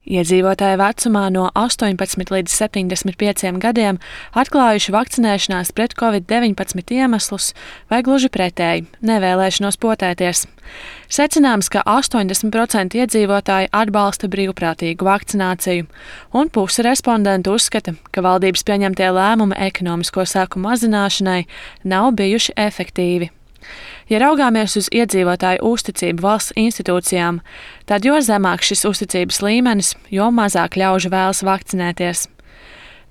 Iedzīvotāji vecumā no 18 līdz 75 gadiem atklājuši vakcinēšanās pret COVID-19 iemeslus vai gluži pretēji - nevēlēšanos potēties. Secināms, ka 80% iedzīvotāji atbalsta brīvprātīgu vakcināciju, un puse respondentu uzskata, ka valdības pieņemtie lēmumi ekonomisko seku mazināšanai nav bijuši efektīvi. Ja raugāmies uz iedzīvotāju uzticību valsts institūcijām, tad jo zemāks šis uzticības līmenis, jo mazāk ļaužu vēlas vakcinēties.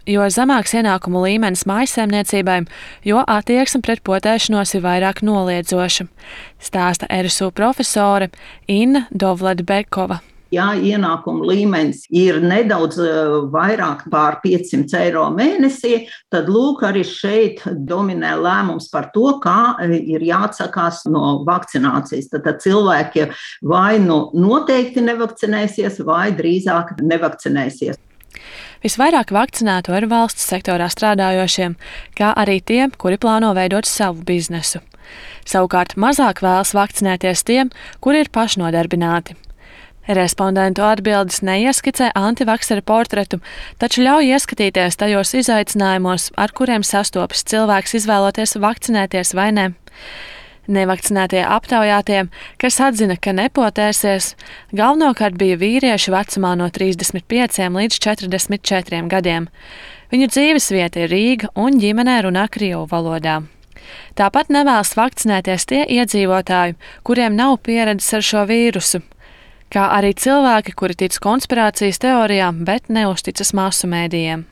Jo zemāks ienākumu līmenis mājsaimniecībai, jo attieksme pret potēšanos ir vairāk noliedzoša, stāsta RSU profesore Inna Dovleta-Bekova. Ja ienākuma līmenis ir nedaudz vairāk pār 500 eiro mēnesī, tad lūk arī šeit dominē lēmums par to, kā ir jāatsakās no vakcinācijas. Tad cilvēki vai nu noteikti nevakcinēsies, vai drīzāk nevakcinēsies. Visvairāk vakcinētu ir valsts sektorā strādājošiem, kā arī tie, kuri plāno veidot savu biznesu. Savukārt mazāk vēlas vakcinēties tiem, kuri ir pašnodarbināti. Respondentu atbildes neieskicē antivaksera portretu, taču ļauj ieskatīties tajos izaicinājumos, ar kuriem sastopas cilvēks izvēloties vakcinēties vai ne. Nevakcinētie aptaujātie, kas atzina, ka nepotēsies, galvenokārt bija vīrieši vecumā no 35 līdz 44 gadiem. Viņu dzīvesvieta ir Rīga un ģimenē runā krievu valodā. Tāpat nevēlas vakcinēties tie iedzīvotāji, kuriem nav pieredzes ar šo vīrusu, kā arī cilvēki, kuri tic konspirācijas teorijām, bet neusticas masu mēdījiem.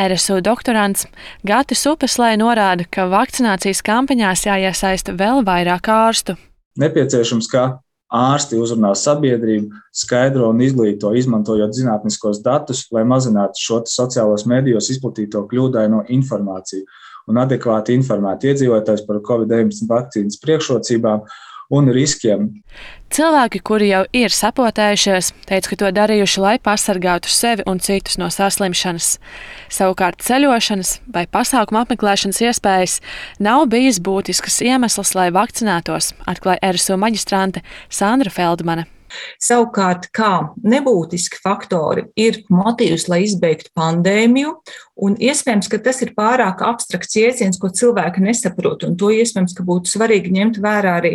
RSU doktorants Gatis Upeslē norāda, ka vakcinācijas kampaņās jāiesaista vēl vairāk ārstu. Nepieciešams, ka ārsti uzrunā sabiedrību, skaidro un izglīto, izmantojot zinātniskos datus, lai mazinātu šo sociālos medijos izplatīto kļūdaino informāciju un adekvāti informētu iedzīvotājus par COVID-19 vakcīnas priekšrocībām un riskiem. Cilvēki, kuri jau ir sapotējušies, teica, ka to darījuši, lai pasargātu sevi un citus no saslimšanas. Savukārt ceļošanas vai pasākumu apmeklēšanas iespējas nav bijis būtisks iemesls, lai vakcinētos, atklāja RSU maģistrante Sandra Feldmane. Savukārt, kā nebūtiski faktori ir motīvs, lai izbeigtu pandēmiju, un iespējams, ka tas ir pārāk abstrakts jēdziens, ko cilvēki nesaprot, un to iespējams, ka būtu svarīgi ņemt vērā arī,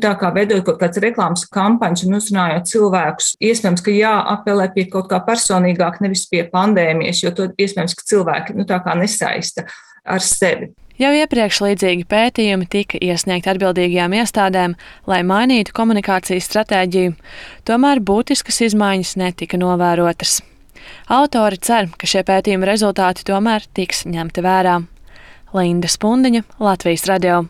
tā kā veidojot kaut kāds reklāmas kampaņas un uzrunājot cilvēkus, iespējams, ka jāapelē pie kaut kā personīgāk, nevis pie pandēmijas, jo to iespējams, ka cilvēki, tā kā nesaista ar sevi. Jau iepriekš līdzīgi pētījumi tika iesniegti atbildīgajām iestādēm, lai mainītu komunikācijas stratēģiju, tomēr būtiskas izmaiņas netika novērotas. Autori cer, ka šie pētījuma rezultāti tomēr tiks ņemti vērā. Linda Spundiņa, Latvijas radio.